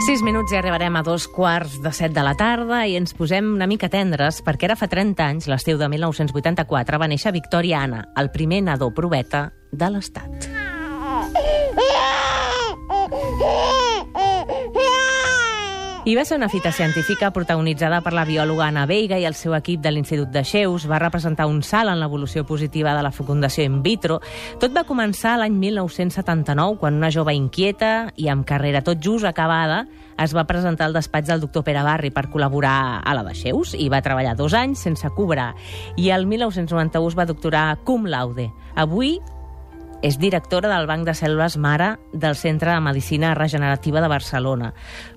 6 minuts i arribarem a 2:15 de la tarda i ens posem una mica tendres perquè ara fa 30 anys, l'estiu de 1984, va néixer Victòria Anna, el primer nadó proveta de l'Estat. I va ser una fita científica protagonitzada per la biòloga Anna Veiga i el seu equip de l'Institut de Xeus. Va representar un salt en l'evolució positiva de la fecundació in vitro. Tot va començar l'any 1979, quan una jove inquieta i amb carrera tot just acabada es va presentar al despatx del doctor Pere Barri per col·laborar a la de Xeus i va treballar 2 anys sense cobrar. I el 1991 es va doctorar cum laude. Avui és directora del Banc de Cèl·lules Mare del Centre de Medicina Regenerativa de Barcelona.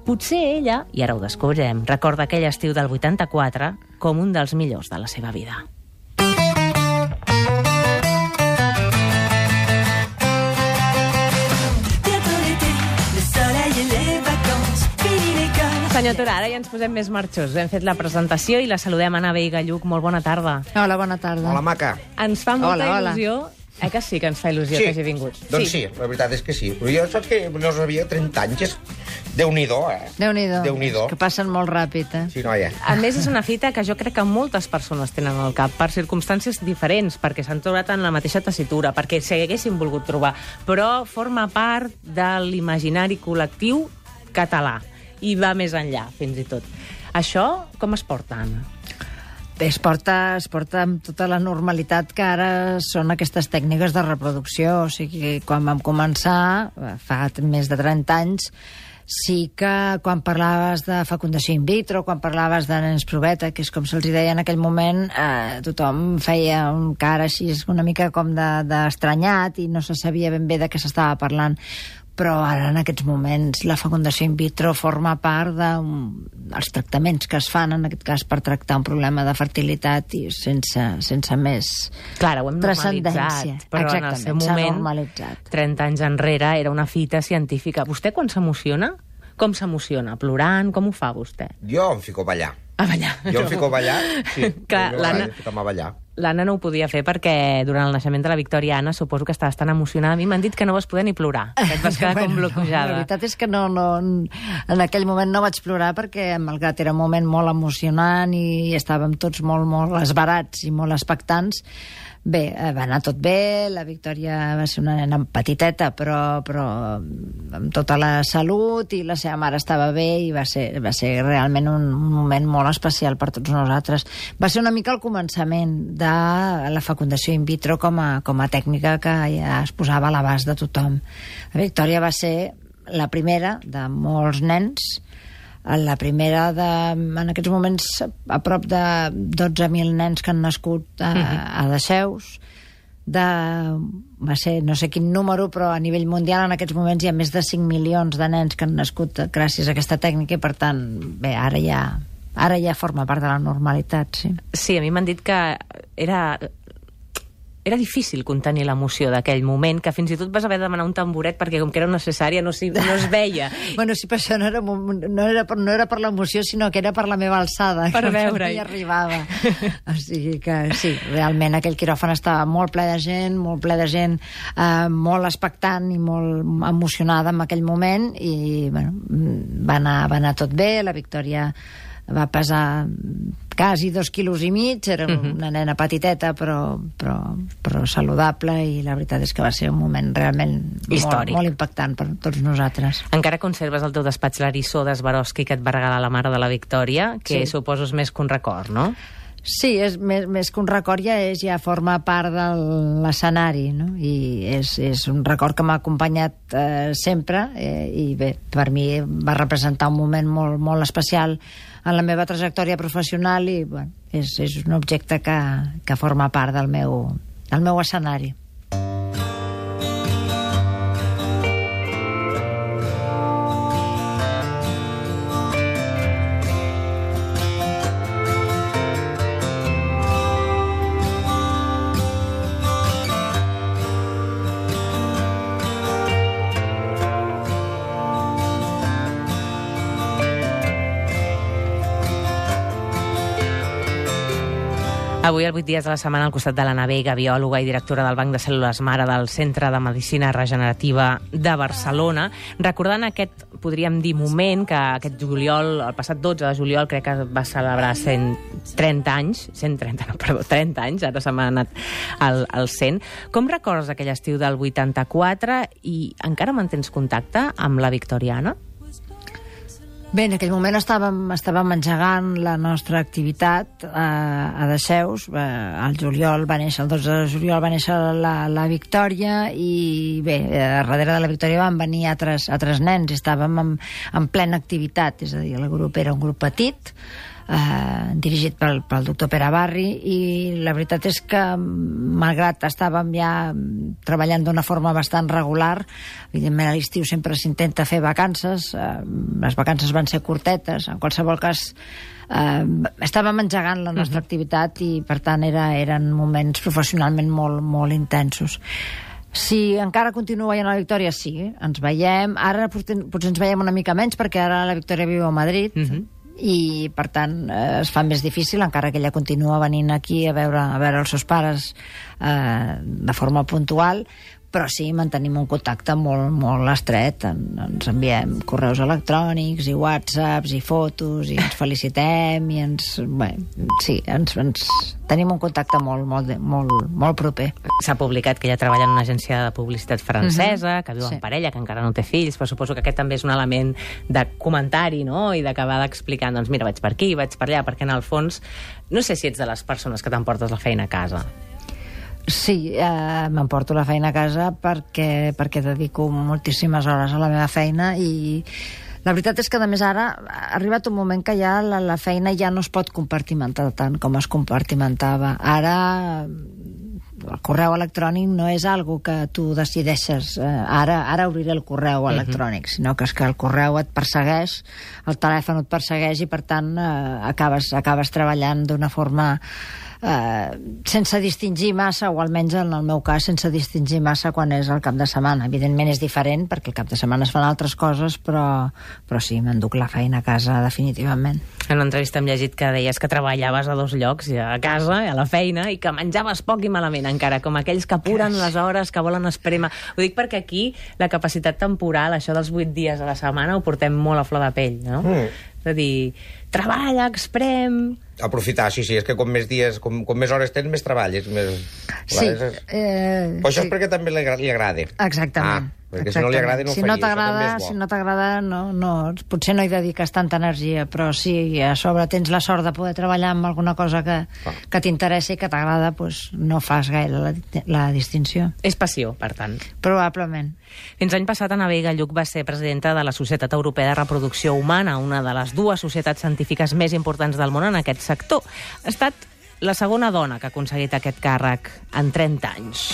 Potser ella, i ara ho descobrirem, recorda aquell estiu del 84 com un dels millors de la seva vida. Senyor Tura, ara ja ens posem més marxosos. Hem fet la presentació i la saludem. Anna Veiga Lluc, molt bona tarda. Hola, bona tarda. Hola, maca. Ens fa molta il·lusió. Que sí que ens fa il·lusió que hagi vingut? Doncs sí, la veritat és que sí. Però jo saps que no sabia 30 anys. Déu-n'hi-do, Déu-n'hi-do. Que passen molt ràpid, Sí, noia. A més, és una fita que jo crec que moltes persones tenen al cap, per circumstàncies diferents, perquè s'han trobat en la mateixa tessitura, perquè s'hi haguessin volgut trobar, però forma part de l'imaginari col·lectiu català i va més enllà, fins i tot. Això com es porta, Anna? Bé, es porta amb tota la normalitat que ara són aquestes tècniques de reproducció. O sigui, quan vam començar, fa més de 30 anys, sí que quan parlaves de fecundació in vitro, quan parlaves de nens proveta, que és com se'ls deia en aquell moment, tothom feia un cara així una mica com d'estranyat i no se sabia ben bé de què s'estava parlant. Però ara, en aquests moments, la fecundació in vitro forma part dels tractaments que es fan, en aquest cas, per tractar un problema de fertilitat i sense més Clar, ho hem normalitzat, però en el seu moment, 30 anys enrere, era una fita científica. Vostè quan s'emociona? Com s'emociona? Plorant? Com ho fa, vostè? Jo em fico a ballar. A ballar? Jo em fico a ballar, sí. Clar, l'Anna no ho podia fer perquè durant el naixement de la Victòria Anna suposo que estaves tan emocionada. A mi m'han dit que no vas poder ni plorar, que et vas quedar com bloquejada. La veritat és que no, en aquell moment no vaig plorar perquè, malgrat era un moment molt emocionant i estàvem tots molt esbarats i molt expectants, bé, va anar tot bé, la Victòria va ser una nena petiteta, però amb tota la salut, i la seva mare estava bé, i va ser realment un moment molt especial per tots nosaltres. Va ser una mica el començament de la fecundació in vitro com a tècnica que ja es posava a l'abast de tothom. La Victòria va ser la primera de molts nens, la primera en aquests moments a prop de 12.000 nens que han nascut a Dexeus. Va ser no sé quin número, però a nivell mundial en aquests moments hi ha més de 5 milions de nens que han nascut gràcies a aquesta tècnica i, per tant, bé, ara ja forma part de la normalitat, sí. Sí, a mi m'han dit que era difícil contenir l'emoció d'aquell moment, que fins i tot vas haver de demanar un tamboret perquè com que era una cesària no es veia. Bueno, sí, però això no era per l'emoció, sinó que era per la meva alçada. Per veure-hi. Que no hi arribava. O sigui que sí, realment aquell quiròfan estava molt ple de gent, molt expectant i molt emocionada en aquell moment i bueno, va anar tot bé. La Victòria va pesar quasi 2,5 quilos, era una nena petiteta però saludable, i la veritat és que va ser un moment realment molt impactant per tots nosaltres. Encara conserves al teu despatx l'eriçó d'Swarovski que et va regalar la mare de la Victòria, que suposo és més que un record, no? Sí, és més que un record, ja forma part de l'escenari, no? I és un record que m'ha acompanyat sempre, i bé, per mi va representar un moment molt especial en la meva trajectòria professional i bueno, és un objecte que forma part del meu escenari. Avui, el 8 dies de la setmana, al costat de l'Anna Veiga, biòloga i directora del Banc de Cèl·lules Mare del Centre de Medicina Regenerativa de Barcelona, recordant aquest, podríem dir, moment que aquest juliol, el passat 12 de juliol, crec que va celebrar 30 anys, ara se m'ha anat al 100. Com recordes aquell estiu del 84 i encara mantens contacte amb la Victoriana? Bé, en aquell moment estàvem engegant la nostra activitat a Dexeus. El 12 de juliol va néixer la Victòria i bé, darrere de la Victòria van venir altres nens i estàvem en plena activitat, és a dir, el grup era un grup petit, dirigit pel doctor Pere Barri, i la veritat és que malgrat estàvem ja treballant d'una forma bastant regular, evidentment a l'estiu sempre s'intenta fer vacances, les vacances van ser curtetes, en qualsevol cas estàvem engegant la nostra activitat i per tant eren moments professionalment molt, molt intensos. Si encara continua veient la Victòria, sí, ens veiem. Ara potser ens veiem una mica menys perquè ara la Victòria viu a Madrid, i per tant es fa més difícil, encara que ella continua venint aquí a veure els seus pares de forma puntual, però sí, mantenim un contacte molt, molt estret. Ens enviem correus electrònics i whatsapps i fotos i ens felicitem i ens tenim un contacte molt proper. S'ha publicat que ella treballa en una agència de publicitat francesa, que viu en parella, que encara no té fills, però suposo que aquest també és un element de comentari, no?, i d'acabar d'explicar, doncs mira, vaig per aquí, vaig per allà, perquè en el fons no sé si ets de les persones que t'emportes la feina a casa. Sí, m'emporto la feina a casa perquè dedico moltíssimes hores a la meva feina i la veritat és que, a més, ara ha arribat un moment que ja la feina ja no es pot compartimentar tant com es compartimentava. Ara el correu electrònic no és algo que tu decideixes, ara obriré el correu electrònic, sinó que és que el correu et persegueix, el telèfon et persegueix i, per tant, acabes treballant d'una forma sense distingir massa, o almenys en el meu cas sense distingir massa quan és el cap de setmana. Evidentment és diferent perquè el cap de setmana es fan altres coses, però sí, m'enduc la feina a casa definitivament. En una entrevista hem llegit que deies que treballaves a 2 llocs, a casa i a la feina, i que menjaves poc i malament encara, com aquells que apuren les hores, que volen esprémer. Ho dic perquè aquí la capacitat temporal, això dels 8 dies a la setmana, ho portem molt a flor de pell, no? És a dir, treballa, exprem... Aprofitar, sí, és que com més dies, com més hores tens, més treballes. Sí. Però això és perquè també li agrada. Exactament. Perquè si no li agrada no ho faria. Si no t'agrada, potser no hi dediques tanta energia, però si a sobre tens la sort de poder treballar amb alguna cosa que t'interessa i que t'agrada, doncs no fas gaire la distinció. És passió, per tant. Probablement. Fins l'any passat, Anna Veiga Lluch va ser presidenta de la Societat Europea de Reproducció Humana, una de les 2 societats científiques més importants del món en aquest sector. Ha estat la segona dona que ha aconseguit aquest càrrec en 30 anys.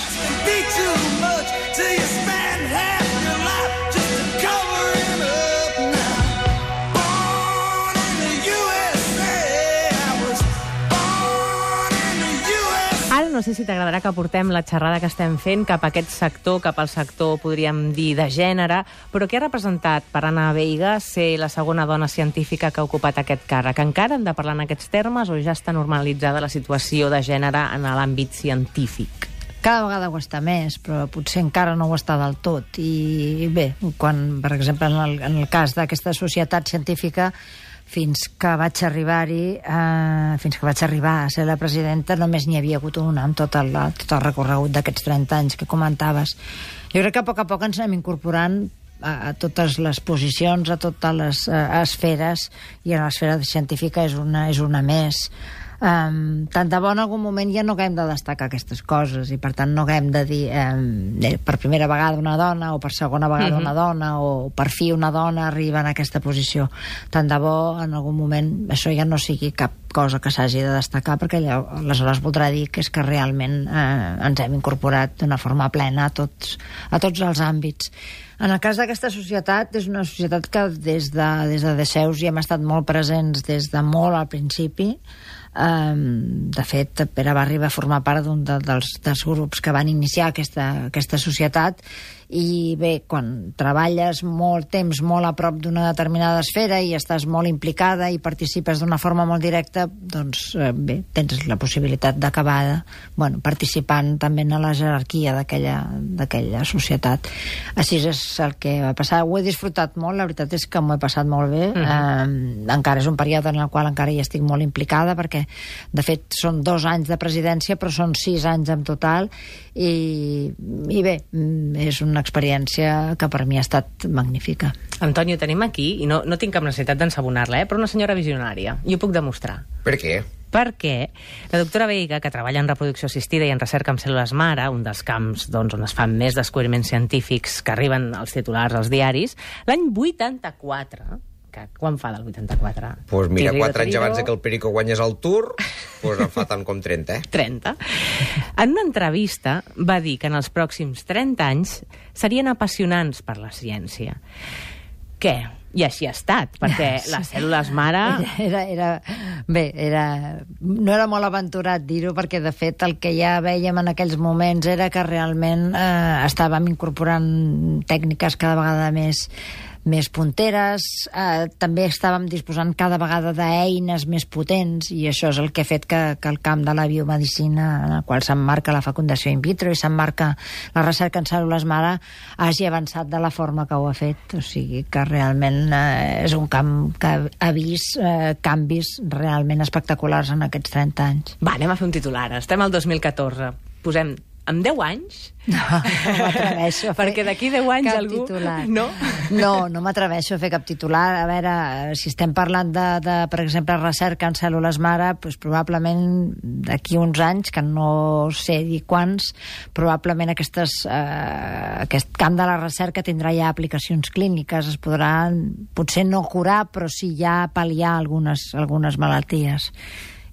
Ara no sé si t'agradarà que portem la xerrada que estem fent cap a aquest sector, cap al sector, podríem dir, de gènere, però què ha representat per Anna Veiga ser la segona dona científica que ha ocupat aquest càrrec? Encara hem de parlar en aquests termes o ja està normalitzada la situació de gènere en l'àmbit científic? Cada vegada ho està més, però potser encara no ho està del tot. I bé, quan, per exemple, en el cas d'aquesta societat científica, fins que vaig arribar a ser la presidenta, només n'hi havia hagut una amb tot el recorregut d'aquests 30 anys que comentaves. Jo crec que a poc ens anem incorporant a totes les posicions, a totes les esferes, i a l'esfera científica és una més. Tant de bo en algun moment ja no haguem de destacar aquestes coses i per tant no haguem de dir per primera vegada una dona o per segona vegada una dona o per fi una dona arriba en aquesta posició. Tant de bo en algun moment això ja no sigui cap cosa que s'hagi de destacar, perquè aleshores voldrà dir que és que realment ens hem incorporat d'una forma plena a tots els àmbits. En el cas d'aquesta societat, és una societat que des de Dexeus hi hem estat molt presents des de molt al principi. De fet, Pere Barri va formar part d'un dels grups que van iniciar aquesta societat i bé, quan treballes molt temps, molt a prop d'una determinada esfera i estàs molt implicada i participes d'una forma molt directa, doncs bé, tens la possibilitat d'acabar participant també en la jerarquia d'aquella societat. Així és el que va passar. Ho he disfrutat molt, la veritat és que m'ho he passat molt bé. Encara és un període en el qual encara hi estic molt implicada, perquè de fet són 2 anys de presidència, però són 6 anys en total, i bé, és una experiència que per mi ha estat magnífica. Antonio, tenim aquí, i no tinc cap necessitat d'ensabonar-la, però una senyora visionària, i ho puc demostrar. Per què? Perquè la doctora Veiga, que treballa en reproducció assistida i en recerca amb cèl·lules mare, un dels camps on es fan més descobriments científics que arriben als titulars als diaris, l'any 84, que quan fa del 84? Pues mira, 4 anys abans que el Perico guanyés el Tour, pues en fa tant com 30, 30. En una entrevista va dir que en els pròxims 30 anys serien apassionants per la ciència. Què? I així ha estat, perquè les cèl·lules mare... No era molt aventurat dir-ho, perquè de fet el que ja vèiem en aquells moments era que realment estàvem incorporant tècniques cada vegada més punteres, també estàvem disposant cada vegada d'eines més potents, i això és el que ha fet que el camp de la biomedicina, en el qual s'emmarca la fecundació in vitro i s'emmarca la recerca en cèl·lules mare, hagi avançat de la forma que ho ha fet. O sigui que realment és un camp que ha vist canvis realment espectaculars en aquests 30 anys. Va, anem a fer un titular. Estem al 2014. Posem en 10 anys... No m'atreveixo a fer perquè d'aquí 10 anys cap algú... titular. No m'atreveixo a fer cap titular. A veure, si estem parlant de per exemple, recerca en cèl·lules mare, doncs probablement d'aquí uns anys, que no sé dir quants, probablement aquest camp de la recerca tindrà ja aplicacions clíniques, es podrà potser no curar, però sí ja pal·liar algunes malalties.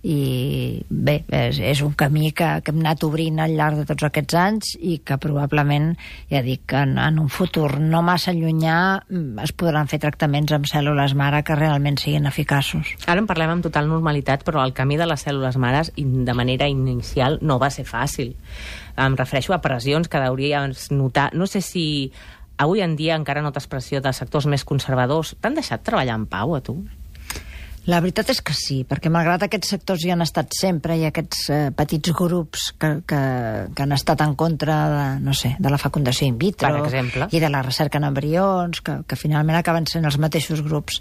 I bé, és un camí que hem anat obrint al llarg de tots aquests anys i que probablement, ja dic, en un futur no massa llunyà es podran fer tractaments amb cèl·lules mare que realment siguin eficaços. Ara en parlem amb total normalitat, però el camí de les cèl·lules mares de manera inicial no va ser fàcil. Em refereixo a pressions que hauries notar. No sé si avui en dia encara notes pressió de sectors més conservadors. T'han deixat treballar en pau, a tu? La veritat és que sí, perquè malgrat aquests sectors hi han estat sempre, i aquests petits grups que han estat en contra de la fecundació in vitro, per exemple, i de la recerca en embrions, que finalment acaben sent els mateixos grups.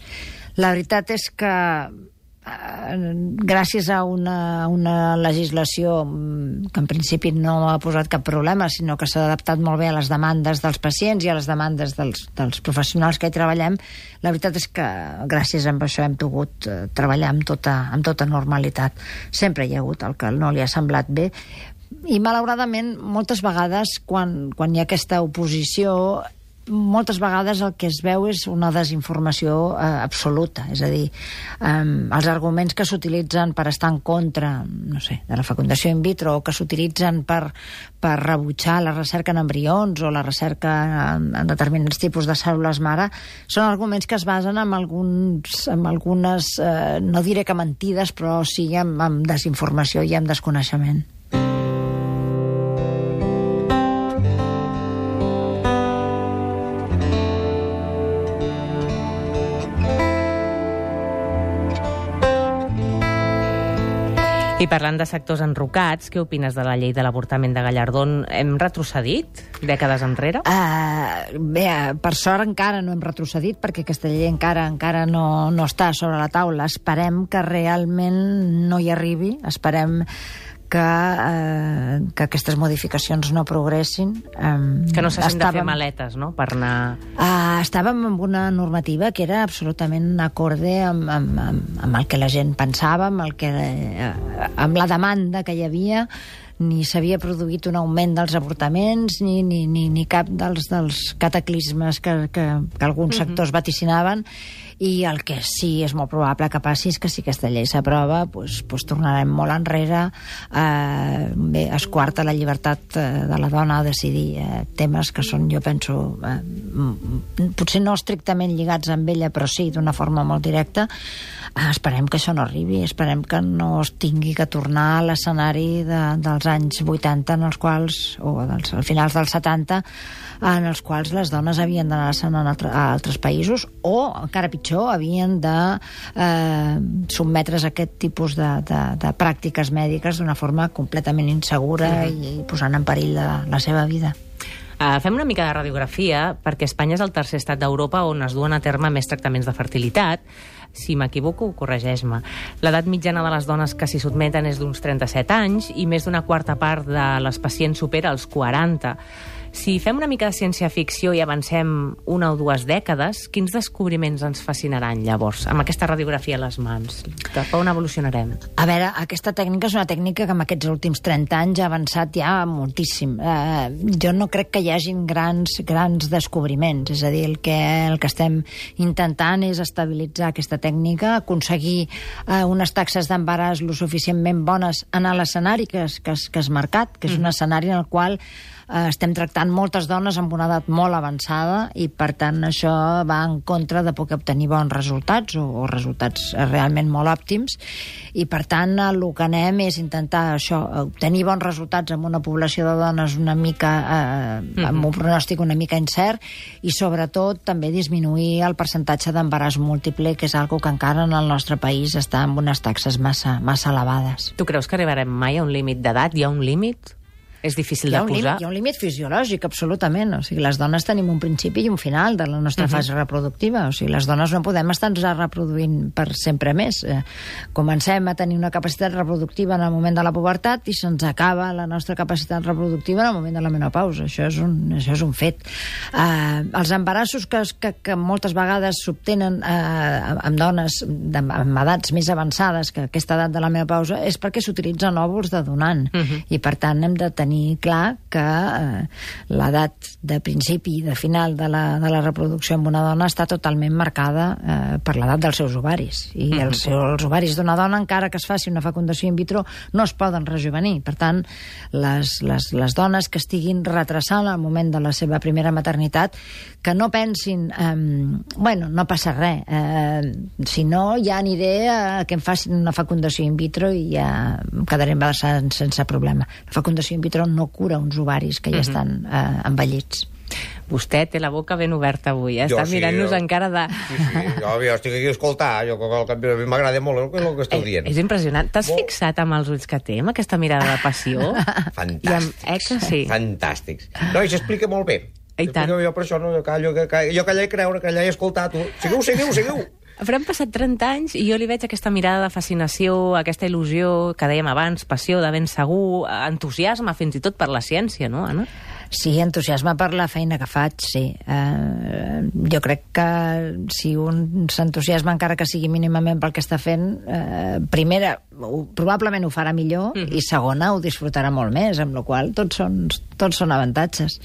La veritat és que gràcies a una legislació que en principi no ha posat cap problema, sinó que s'ha adaptat molt bé a les demandes dels pacients i a les demandes dels professionals que hi treballem, la veritat és que gràcies a això hem pogut treballar amb tota normalitat. Sempre hi ha hagut el que no li ha semblat bé, i malauradament moltes vegades quan hi ha aquesta oposició, moltes vegades el que es veu és una desinformació absoluta. És a dir, els arguments que s'utilitzen per estar en contra, no sé, de la fecundació in vitro, o que s'utilitzen per rebutjar la recerca en embrions o la recerca en determinats tipus de cèl·lules mare, són arguments que es basen en algunes, no diré que mentides, però sí en desinformació i en desconeixement. I parlant de sectors enrocats, què opines de la llei de l'avortament de Gallardón? Hem retrocedit dècades enrere? Bé, per sort encara no hem retrocedit, perquè aquesta llei encara no està sobre la taula. Esperem que realment no hi arribi, esperem que aquestes modificacions no progressin. Que no s'hagin de fer maletes, no?, per anar... Estàvem amb una normativa que era absolutament acorde amb el que la gent pensava, amb la demanda que hi havia. Ni s'havia produït un augment dels avortaments, ni cap dels cataclismes que alguns sectors vaticinaven. I el que sí és molt probable que passi és que si aquesta llei s'aprova, doncs tornarem molt enrere. Bé, es coarta la llibertat de la dona a decidir temes que són, jo penso, potser no estrictament lligats amb ella, però sí d'una forma molt directa. Esperem que això no arribi, esperem que no es tingui que tornar a l'escenari dels dels anys 80, en els quals, o als finals dels 70, en els quals les dones havien d'anar-se'n a altres països o, encara pitjor, havien de sotmetre's a aquest tipus de pràctiques mèdiques d'una forma completament insegura i posant en perill la seva vida. Fem una mica de radiografia, perquè Espanya és el tercer estat d'Europa on es duen a terme més tractaments de fertilitat. Si m'equivoco, corregeix-me. L'edat mitjana de les dones que s'hi sotmeten és d'uns 37 anys i més d'una quarta part de les pacients supera els 40. Si fem una mica de ciència-ficció i avancem una o dues dècades, quins descobriments ens fascinaran llavors, amb aquesta radiografia a les mans? Cap a on evolucionarem? A veure, aquesta tècnica és una tècnica que en aquests últims 30 anys ha avançat ja moltíssim. Jo no crec que hi hagin grans descobriments, és a dir, el que estem intentant és estabilitzar aquesta tècnica, aconseguir unes taxes d'embaràs lo suficientment bones en l'escenari que has marcat, que és un escenari en el qual estem tractant moltes dones amb una edat molt avançada i, per tant, això va en contra de poder obtenir bons resultats o resultats realment molt òptims i, per tant, el que anem és intentar això, obtenir bons resultats amb una població de dones una mica amb un pronòstic una mica incert i, sobretot, també disminuir el percentatge d'embaràs múltiple, que és algo que encara en el nostre país està amb unes taxes massa elevades. Tu creus que arribarem mai a un límit d'edat? Hi ha un límit? És difícil de posar? Hi ha un límit fisiològic, absolutament. O sigui, les dones tenim un principi i un final de la nostra fase reproductiva. O sigui, les dones no podem estar-nos reproduint per sempre més. Comencem a tenir una capacitat reproductiva en el moment de la pubertat i se'ns acaba la nostra capacitat reproductiva en el moment de la menopausa. Això és un fet. Els embarassos que moltes vegades s'obtenen amb dones amb edats més avançades que aquesta edat de la menopausa és perquè s'utilitzen òvuls de donant. I, per tant, hem de tenir clar que l'edat de principi i de final de la reproducció amb una dona està totalment marcada per l'edat dels seus ovaris. I els ovaris d'una dona, encara que es faci una fecundació in vitro, no es poden rejuvenir. Per tant, les dones que estiguin retrasant el moment de la seva primera maternitat, que no pensin bueno, no passa res, si no ja aniré a que em facin una fecundació in vitro i ja em quedaré embarassada sense problema. La fecundació in vitro no cura uns ovaris que ja estan envellits. Vostè té la boca ben oberta avui, Està mirant-nos encara de... Sí, jo estic aquí a escoltar, m'agrada molt el que esteu dient. És impressionant. T'has fixat amb els ulls que té, amb aquesta mirada de passió? Fantàstics. Sí. Fantàstics. No, i s'explica molt bé. I tant. Jo per això jo callar i creure, callar i escoltar, tu. Seguiu. Però han passat 30 anys i jo li veig aquesta mirada de fascinació, aquesta il·lusió que dèiem abans, passió de ben segur, entusiasme fins i tot per la ciència, no, Anna? Sí, entusiasme per la feina que faig, sí. Jo crec que si un s'entusiasma, encara que sigui mínimament pel que està fent, primera, probablement ho farà millor i segona, ho disfrutarà molt més, amb la qual cosa tots són avantatges.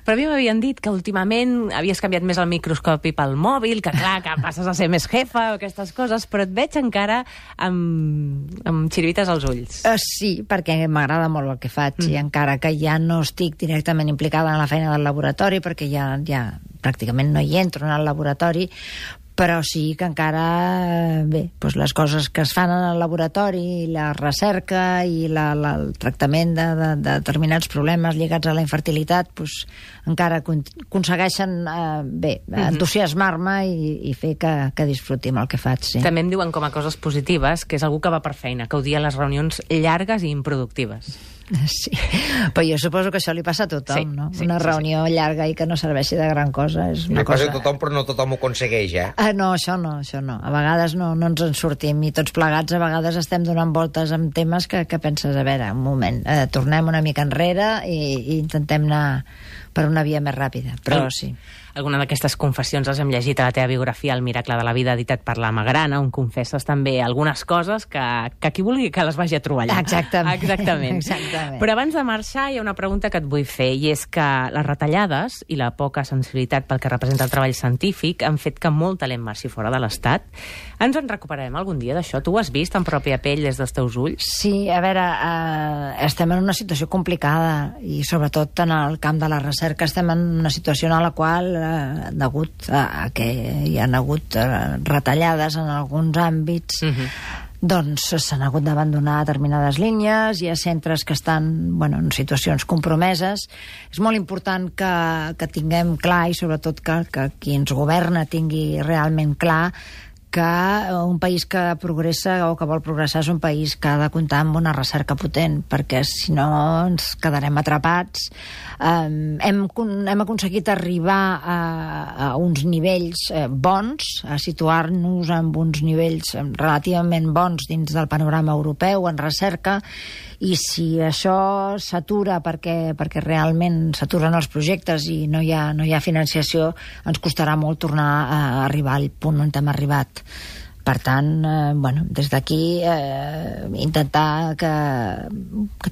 Però a mi m'havien dit que últimament havies canviat més el microscopi pel mòbil, que clar, que passes a ser més jefa o aquestes coses, però et veig encara amb xirivites als ulls. Sí, perquè m'agrada molt el que faig i encara que ja no estic directament implicada en la feina del laboratori, perquè ja pràcticament no hi entro en el laboratori, però sí que encara, bé, doncs les coses que es fan en el laboratori, la recerca i el tractament de determinats problemes lligats a la infertilitat, doncs encara aconsegueixen, entusiasmar-me i fer que disfruti amb el que faig, sí. També em diuen com a coses positives que és algú que va per feina, que odia les reunions llargues i improductives. Sí, però jo suposo que això li passa a tothom, no? Una reunió llarga i que no serveixi de gran cosa és una cosa... Li passa a tothom, però no tothom ho aconsegueix, No, això no. A vegades no ens en sortim i tots plegats a vegades estem donant voltes amb temes que penses, a veure, un moment, tornem una mica enrere i intentem anar per una via més ràpida, però sí. Alguna d'aquestes confessions les hem llegit a la teva biografia, El miracle de la vida, editat per la Magrana, on confesses també algunes coses que qui vulgui que les vagi a trobar allà. Exactament. Però abans de marxar hi ha una pregunta que et vull fer, i és que les retallades i la poca sensibilitat pel que representa el treball científic han fet que molt talent marxi fora de l'Estat. Ens en recuperarem algun dia d'això? Tu ho has vist en pròpia pell des dels teus ulls? Sí, a veure, estem en una situació complicada i sobretot en el camp de la recerca estem en una situació en la qual degut a que hi ha hagut retallades en alguns àmbits doncs s'han hagut d'abandonar determinades línies, hi ha centres que estan en situacions compromeses. És molt important que tinguem clar, i sobretot que qui ens governa tingui realment clar, que un país que progressa o que vol progressar és un país que ha de comptar amb una recerca potent, perquè si no ens quedarem atrapats. Hem aconseguit arribar a uns nivells bons, a situar-nos en uns nivells relativament bons dins del panorama europeu en recerca, i si això s'atura perquè realment s'aturen els projectes i no hi ha financiació, ens costarà molt tornar a arribar al punt on hem arribat. Per tant, des d'aquí intentar que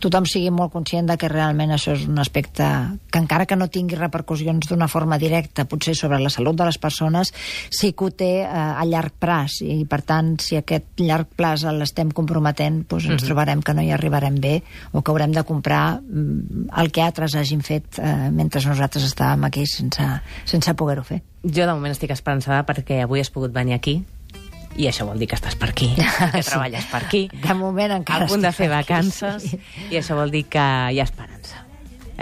tothom sigui molt conscient de que realment això és un aspecte que, encara que no tingui repercussions d'una forma directa, potser sobre la salut de les persones, sí que ho té a llarg plaç, i per tant, si aquest llarg plaç l'estem comprometent, doncs ens trobarem que no hi arribarem bé, o que haurem de comprar el que altres hagin fet mentre nosaltres estàvem aquí sense poder-ho fer. Jo de moment estic esperançada perquè avui has pogut venir aquí, i això vol dir que estàs per aquí, que treballes per aquí. De moment encara a punt de fer aquí, vacances, sí. I això vol dir que hi ha esperança.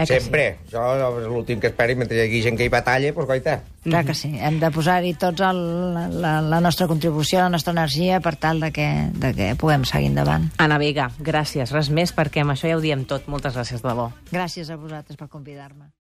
Sempre. Sí? Això és l'últim que esperi, mentre hi hagi gent que hi batalla, doncs goita. Clar que sí. Hem de posar-hi tots la nostra contribució, la nostra energia, per tal de que puguem seguir endavant. Anna Vega, gràcies. Res més, perquè amb això ja ho diem tot. Moltes gràcies, de debò. Gràcies a vosaltres per convidar-me.